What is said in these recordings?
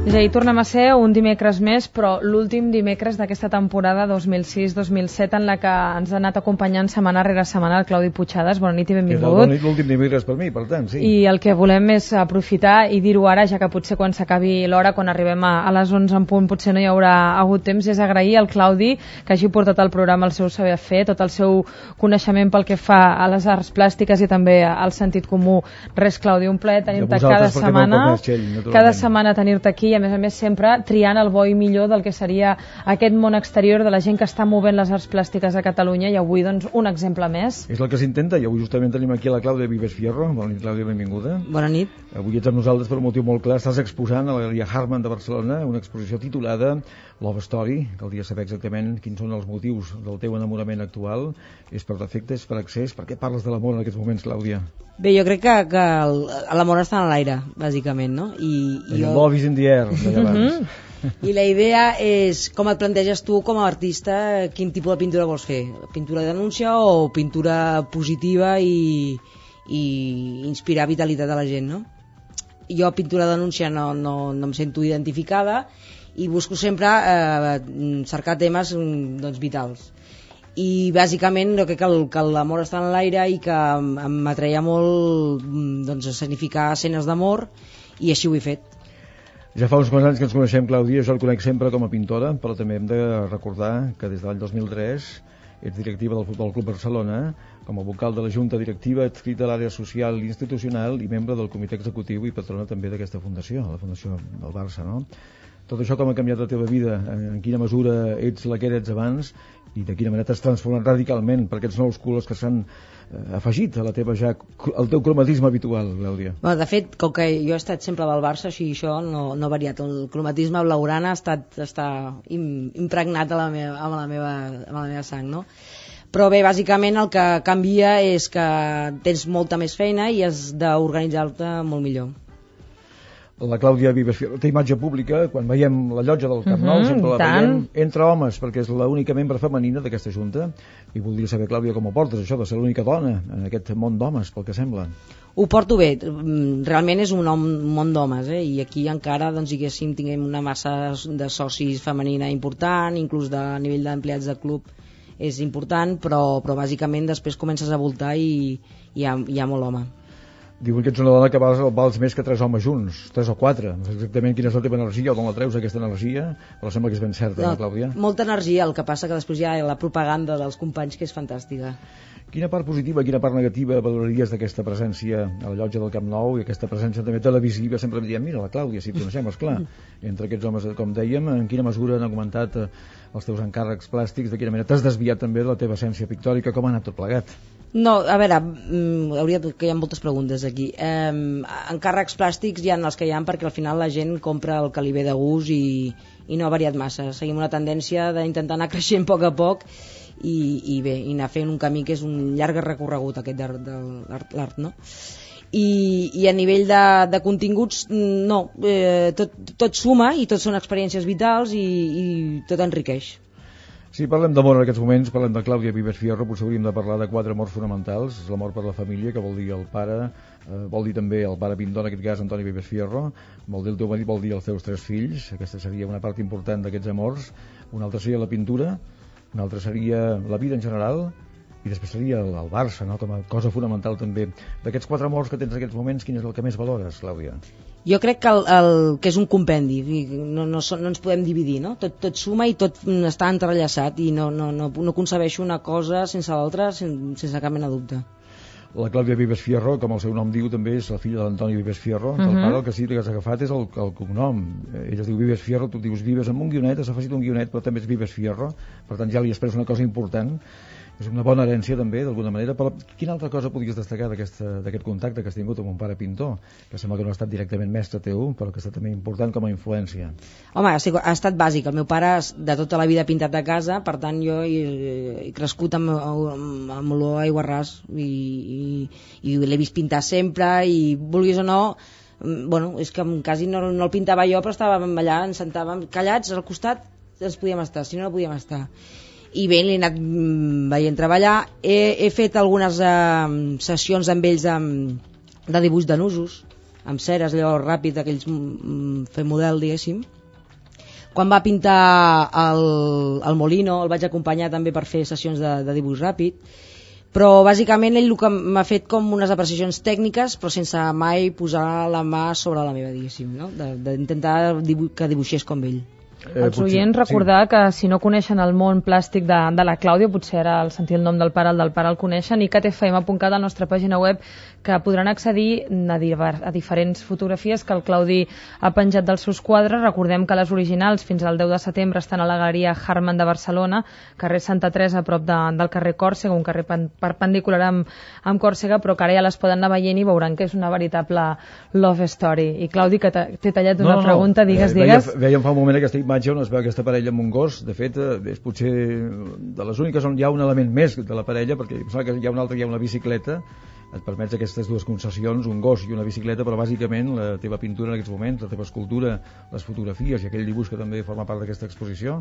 És a dir, tornem a ser un dimecres més, però l'últim dimecres d'aquesta temporada 2006-2007 en la que ens ha anat acompanyant setmana rere setmana el Claudi Puigcercas. Bona nit i benvingut. És l'últim dimecres per mi, per tant, sí. I el que volem és aprofitar i dir-ho ara, ja que potser quan s'acabi l'hora, quan arribem a les 11 en punt, potser no hi haurà hagut temps, és agrair al Claudi que hagi portat al programa el seu saber fer, tot el seu coneixement pel que fa a les arts plàstiques i també al sentit comú. Res, Claudi, un plaer tenir-te cada setmana tenir-te aquí, a més sempre triant el bo i millor del que seria aquest món exterior de la gent que està movent les arts plàstiques a Catalunya, i avui doncs un exemple més. És el que s'intenta, i avui justament tenim aquí la Clàudia Vives Fierro. Bona nit, Clàudia, benvinguda. Bona nit. Avui ets amb nosaltres per un motiu molt clar. Estàs exposant a la Galeria Harman de Barcelona una exposició titulada Love Story. Caldria saber exactament quins són els motius del teu enamorament actual. És per defecte, és per accés? Per què parles de l'amor en aquests moments, Clàudia? Bé, jo crec que l'amor està en l'aire, bàsicament, no? Love is in the air, d'allà abans. I la idea és com et planteges tu com a artista, quin tipus de pintura vols fer? Pintura de denúncia o pintura positiva i inspirar vitalitat a la gent, no? Jo pintura de denúncia no em sento identificada i busco sempre cercar temes doncs, vitals. I bàsicament jo crec que l'amor està en l'aire i que m'atreia molt doncs, significar escenes d'amor, i així ho he fet. Ja fa uns quants anys que ens coneixem, Clàudia. Jo el conec sempre com a pintora, però també hem de recordar que des de l'any 2003 ets directiva del Futbol Club Barcelona, com a vocal de la Junta Directiva, adscrita a l'àrea social i institucional i membre del comitè executiu i patrona també d'aquesta fundació, la Fundació del Barça, no? Tot això com ha canviat la teva vida? En quina mesura ets la que eres abans i de quina manera t'has transformat radicalment per aquests nous colors que s'han afegit a la teva al teu cromatisme habitual, Clàudia? Bueno, de fet, com que jo he estat sempre del Barça, així això no ha variat. El cromatisme blaugrana està impregnat a la meva sang, no? Però bé, bàsicament el que canvia és que tens molta més feina i has d'organitzar-te molt millor. La Clàudia Vives Fierro té imatge pública. Quan veiem la llotja del Camp Nou sempre la veiem entre homes, perquè és l'única membre femenina d'aquesta junta, i voldria saber, Clàudia, com ho portes això de ser l'única dona en aquest món d'homes, pel que sembla. Ho porto bé, realment és un món d'homes, i aquí encara doncs, diguéssim, tinguem una massa de socis femenina important, inclús a nivell d'empleats de club és important, però bàsicament després comences a voltar i hi ha molt home. Diuen que ets una dona que vals més que 3 homes junts, 3 o 4. No sé exactament quina és la teva energia o d'on la treus, aquesta energia, però sembla que és ben certa, no, Clàudia? Molta energia, el que passa que després hi ha la propaganda dels companys, que és fantàstica. Quina part positiva, quina part negativa valoraries d'aquesta presència a la llotja del Camp Nou i aquesta presència també televisiva? Sempre em diem, mira, la Clàudia, si et coneixem, esclar. Entre aquests homes, com dèiem, en quina mesura han augmentat els teus encàrrecs plàstics, de quina manera t'has desviat també de la teva essència pictòrica, com ha anat tot plegat? No, a veure, que hi ha moltes preguntes aquí. Encàrrecs plàstics hi ha els que hi ha perquè al final la gent compra el que li ve de gust i no ha variat massa. Seguim una tendència d'intentar anar creixent a poc i bé, i anar fent un camí que és un llarg recorregut aquest de l'art, no? I a nivell de continguts, no, tot suma i tot són experiències vitals i tot enriqueix. Si parlem d'amor en aquests moments, parlem de Clàudia Vives Fierro, potser hauríem de parlar de 4 amors fonamentals. L'amor per la família, que vol dir el pare, vol dir també el pare pintor, en aquest cas Antoni Vives Fierro, vol dir el teu marit, vol dir els teus 3 fills. Aquesta seria una part important d'aquests amors. Una altra seria la pintura, una altra seria la vida en general, i després seria el Barça, no? Com a cosa fonamental també. D'aquests 4 amors que tens en aquests moments, quin és el que més valores, Clàudia? Jo crec que que és un compendi, no ens podem dividir, no? Tot suma i tot està entrellaçat i no concebeixo una cosa sense l'altra sense cap mena de dubte. La Clàudia Vives Fierro, com el seu nom diu, també és la filla de l'Antoni Vives Fierro. El pare, el que sí que has agafat és el cognom. Ell es diu Vives Fierro, tu dius Vives amb un guionet, has afegit un guionet, però també és Vives Fierro, per tant ja li has pres una cosa important. És una bona herència també, d'alguna manera, però quina altra cosa podries destacar d'aquest contacte que has tingut amb un pare pintor, que sembla que no ha estat directament mestre teu, però que ha estat també important com a influència? Home, ha estat bàsic. El meu pare de tota la vida ha pintat de casa, per tant jo he crescut amb olor a aiguarràs i l'he vist pintar sempre i, vulguis o no, Bueno, és que quasi no el pintava jo, però estàvem allà, ens sentàvem callats al costat, ens podíem estar, si no podíem estar. I bé, l'he anat veient treballar. He fet algunes sessions amb ells de dibuix de nusos, amb ceres, allò ràpid, aquells fer model, diguéssim. Quan va pintar el Molino, el vaig acompanyar també per fer sessions de dibuix ràpid, però bàsicament ell el que m'ha fet com unes apreciacions tècniques, però sense mai posar la mà sobre la meva, diguéssim, no? D'intentar que dibuixés com ell. Els oients recordar que si no coneixen el món plàstic de la Clàudia, potser ara al sentir el nom del pare el coneixen, i catfm.cat, a la nostra pàgina web, que podran accedir a diferents fotografies que el Claudi ha penjat dels seus quadres. Recordem que les originals fins al 10 de setembre estan a la Galeria Harman de Barcelona, carrer Santa Teresa, a prop del carrer Còrsega, un carrer perpendicular amb Còrsega, però que ara ja les poden anar veient i veuran que és una veritable love story. I Claudi, que t'he tallat una pregunta, digues. Vèiem fa un moment aquesta imatge on es veu aquesta parella amb un gos. De fet, és potser de les úniques on hi ha un element més de la parella, perquè em sembla que hi ha una altra, hi ha una bicicleta. Et permets aquestes dues concessions, un gos i una bicicleta, però bàsicament la teva pintura en aquests moments, la teva escultura, les fotografies i aquell dibuix que també forma part d'aquesta exposició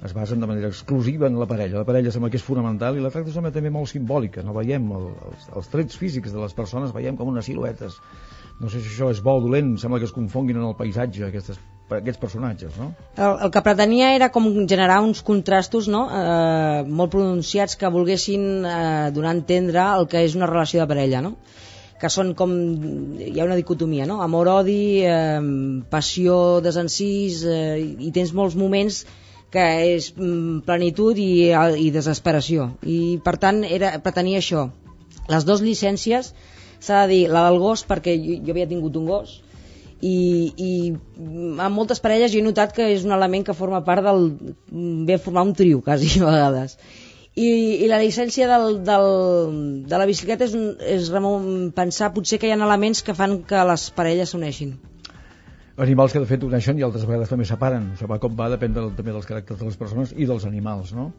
es basen de manera exclusiva en la parella. La parella sembla que és fonamental i la tracta sembla també molt simbòlica. No veiem els trets físics de les persones, veiem com unes siluetes. No sé si això és bo o dolent, sembla que es confonguin en el paisatge aquests personatges, no? El que pretenia era com generar uns contrastos, no? Molt pronunciats, que volguessin donar a entendre el que és una relació de parella, no? Que són com... hi ha una dicotomia, no? Amor-odi, passió, desencís, i tens molts moments que és plenitud i desesperació. I per tant pretenia això. Les dues llicències, s'ha de dir, la del gos, perquè jo havia tingut un gos, i en moltes parelles jo he notat que és un element que forma part ve a formar un trio quasi a vegades, i la llicència de la bicicleta és pensar potser que hi ha elements que fan que les parelles s'uneixin. Animals que de fet uneixen i altres vegades també separen. Això va com va, depèn també dels caràcters de les persones i dels animals, no?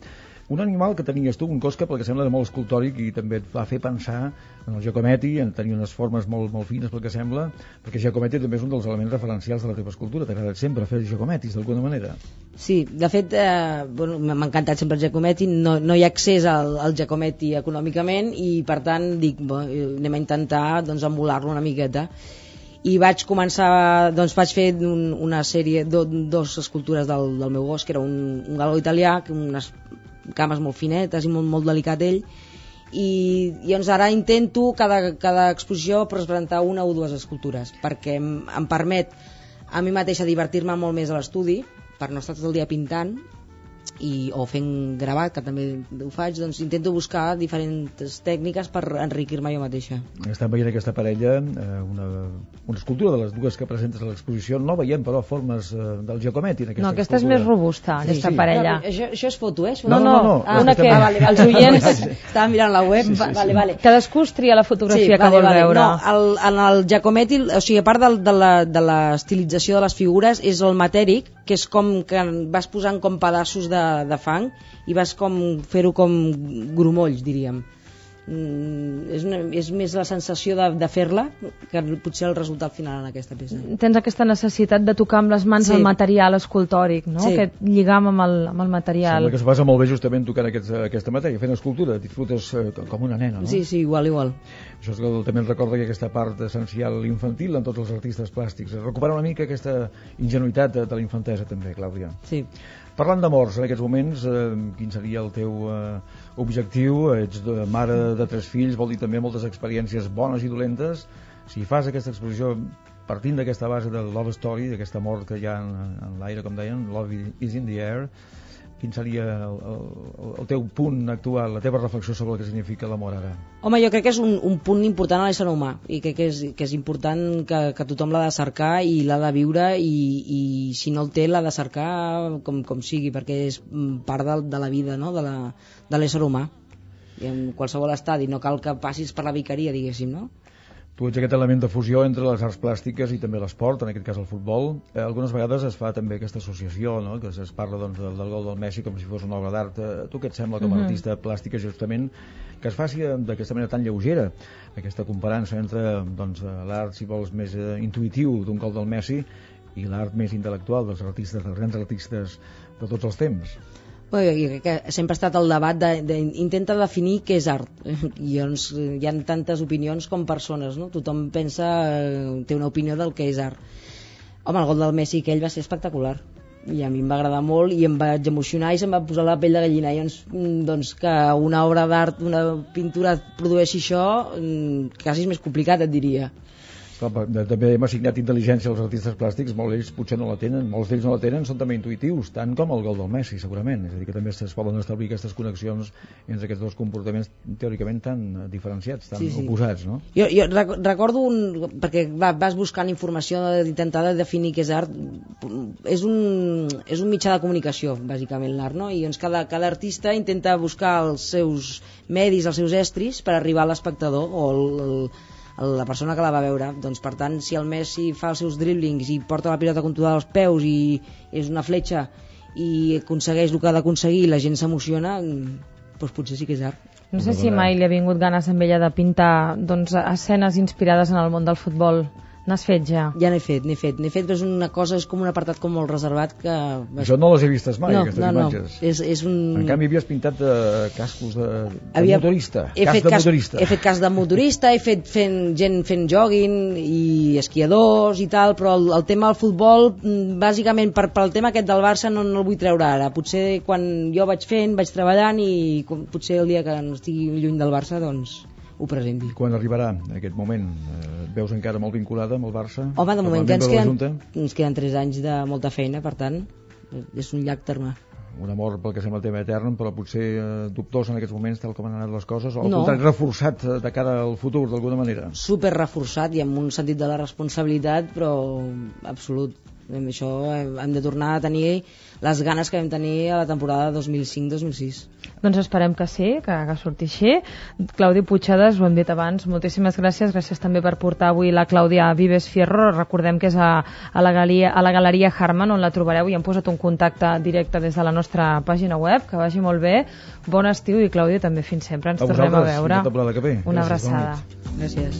Un animal que tenies tu, un gos que pel que sembla era molt escultòric i també et va fer pensar en el Giacometti, en tenir unes formes molt fines pel que sembla, perquè Giacometti també és un dels elements referencials de la teva escultura. T'ha agradat sempre fer Giacomettis d'alguna manera? Sí, de fet m'ha encantat sempre el Giacometti, no hi ha accés al Giacometti econòmicament i per tant dic, anem a intentar embolar-lo una miqueta. I vaig començar, vaig fer una sèrie, dos escultures del meu gos, que era un galó italià, unes cames molt finetes i molt delicat ell, i llavors ara intento cada exposició presentar una o dues escultures, perquè em permet a mi mateixa divertir-me molt més a l'estudi, per no estar tot el dia pintant o fent gravat, que també ho faig. Doncs intento buscar diferents tècniques per enriquir-me jo mateixa. Estem veient aquesta parella, una escultura de les dues que presentes a l'exposició. No veiem però formes del Giacometti en aquesta No, aquesta escultura és més robusta, aquesta parella. Això és foto, eh? No. Una que els oients estaven mirant la web. Vale. Cadascú es tria la fotografia que vol veure. No, en el Giacometti, o sigui, a part de l'estilització de les figures, és el matèric, que és com que vas posant com pedaços de fang i vas com fer-ho com grumolls, diríem. És més la sensació de fer-la que potser el resultat final en aquesta peça. Tens aquesta necessitat de tocar amb les mans el material escultòric, no? Sí. Aquest lligam amb el material. Sembla que es passa molt bé justament tocant aquesta matèria, fent escultura, disfrutes com una nena, no? Sí, igual. Això és que també ens recorda que aquesta part essencial infantil en tots els artistes plàstics. Recupera una mica aquesta ingenuïtat de la infantesa també, Clàudia. Sí. Parlant d'amors, en aquests moments, quin seria el teu objectiu? Ets mare de 3 fills, vol dir també moltes experiències bones i dolentes. Si fas aquesta exposició partint d'aquesta base de Love Story, d'aquest amor que hi ha en l'aire, com deien, Love is in the air, quin seria el teu punt actual, la teva reflexió sobre el que significa l'amor ara? Home, jo crec que és un punt important a l'ésser humà i crec que és important que tothom l'ha de cercar i l'ha de viure i si no el té l'ha de cercar com sigui, perquè és part de la vida, no? de l'ésser humà. I en qualsevol estadi, no cal que passis per la vicaria, diguéssim, no? Tu ets aquest element de fusió entre les arts plàstiques i també l'esport, en aquest cas el futbol. Algunes vegades es fa també aquesta associació, no? Que es parla doncs, del gol del Messi com si fos una obra d'art. Tu què et sembla com a artista plàstica justament que es faci d'aquesta manera tan lleugera aquesta comparança entre doncs, l'art, si vols, més intuïtiu d'un gol del Messi i l'art més intel·lectual dels artistes, dels grans artistes de tots els temps? Bé, que sempre ha estat el debat intenta definir què és art i doncs hi ha tantes opinions com persones, no? Tothom pensa, té una opinió del que és art. Home, el gol del Messi aquell va ser espectacular i a mi em va agradar molt i em vaig emocionar i se'm va posar la pell de gallina i doncs que una obra d'art, una pintura produeixi això quasi és més complicat, et diria. També hem assignat intel·ligència als artistes plàstics, molts d'ells potser no la tenen, molts d'ells no la tenen, són també intuïtius, tant com el gol del Messi, segurament. És a dir, que també es poden establir aquestes connexions entre aquests dos comportaments teòricament tan diferenciats, tan oposats, no? Jo recordo, perquè vas buscant informació d'intentar definir què és art, és un mitjà de comunicació, bàsicament, l'art, no? I doncs cada artista intenta buscar els seus medis, els seus estris, per arribar a l'espectador o la persona que la va veure. Doncs per tant, si el Messi fa els seus driblings i porta la pilota controlada als peus i és una fletxa i aconsegueix el que ha d'aconseguir i la gent s'emociona, doncs potser sí que és art. No sé si mai li ha vingut ganes amb ella de pintar doncs, escenes inspirades en el món del futbol. N'has fet ja? Ja n'he fet, però és una cosa, és com un apartat com molt reservat que... Això no les he vistes mai, aquestes imatges. És un... En canvi havies pintat cascos de motorista. He fet cas de motorista, he fet gent fent jogging i esquiadors i tal, però el tema del futbol, bàsicament pel tema aquest del Barça no el vull treure ara. Potser quan jo vaig treballant i potser el dia que no estigui lluny del Barça, doncs ho presenti. I quan arribarà aquest moment? Et veus encara molt vinculada amb el Barça? Home, de moment ens queden 3 anys de molta feina, per tant, és un llarg terme. Un amor pel que sembla tema etern, però potser dubtós en aquests moments, tal com han anat les coses, o al contrari, reforçat de cara al futur, d'alguna manera? Super reforçat i amb un sentit de la responsabilitat, però absolut. Amb això hem de tornar a tenir les ganes que vam tenir a la temporada 2005-2006. Doncs esperem que sí, que surti així. Claudi Puigcerdas, ho hem dit abans, moltíssimes gràcies. Gràcies també per portar avui la Clàudia Vives Fierro. Recordem que és a la Galeria Harman, on la trobareu, i hem posat un contacte directe des de la nostra pàgina web. Que vagi molt bé. Bon estiu i, Clàudia, també fins sempre. Ens tornem a veure. Una abraçada. Gràcies.